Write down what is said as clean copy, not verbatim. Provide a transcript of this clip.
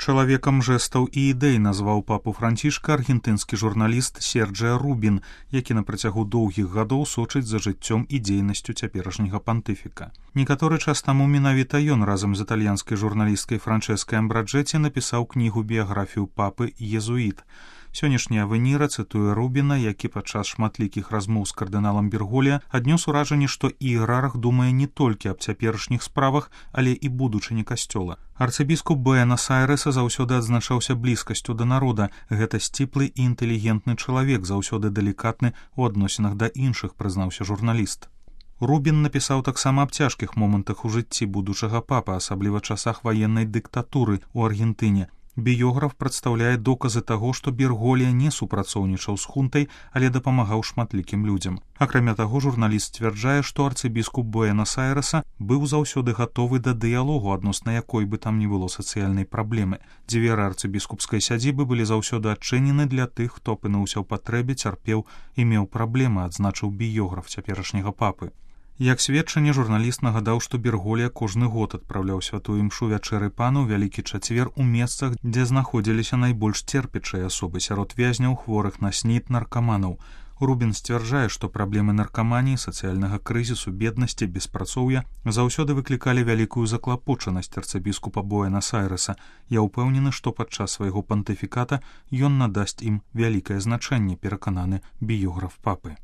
Чалавекам жэстаў і ідэй назваў папу Францішка аргентынскі журналіст Серджіа Рубін, які на працягу доўгіх гадоў сочыць за жыццём і дзейнасцю цяперашняга пантыфіка. Некаторы час таму менавіта ён разам з італьянскай журналісткай Франчэскай Амбраджэці напісаў кнігу біяграфію папы «Езуіт». Сённяшняя Венера цытуе Рубіна, які падчас шматлікіх размоў з кардыналам Берголья аднёс уражанне, што іерарх думае не толькі аб цяперашніх справах, але і будучыні касцёла. Арцыбіскуп Буэнас-Айрэса заўсёды адзначаўся блізкасцю да народа. Гэта сціплы і інтэлігентны чалавек, заўсёды далікатны ў адносінах да іншых, прызнаўся журналіст. Рубін напісаў таксама аб цяжкіх момантах у жыцці будучага папы, асабліва часах ваеннай дыктатуры ў Аргентыне. Біёграф прадстаўляе доказы таго, што Берголья не супрацоўнічаў з хунтай, але дапамагаў шматлікім людзям. Акрамя таго, журналіст сцвярджае, што арцыбіскуп Буэнас-Айрэса быў заўсёды гатовы да дыялогу адносна якой бы там ні было сацыяльнай праблемы. Дзверы арцыбіскупскай сядзібы былі заўсёды адчынены для тых, хто апынуўся ў патрэбе, цярпеў і меў праблемы, адзначыў біёграф цяперашняга папы. Як сведчанне, журналіст нагадаў, што Берголья кожны год адпраўляў святую імшу вячэры пану ў Вялікі чацвер у месцах, дзе знаходзіліся найбольш церпячыя асобы сярод вязняў, хворых на СНІД, наркаманаў. Рубін сцвярджае, што праблемы наркаманіі, сацыяльнага крызісу, беднасці, беспрацоўя заўсёды выклікалі вялікую заклапочанасць арцыбіскупа Буэнас-Айрэса. Я ўпэўнены, што падчас свайго пантыфіката ён надасць ім вялікае значэнне, перакананы біёграф папы.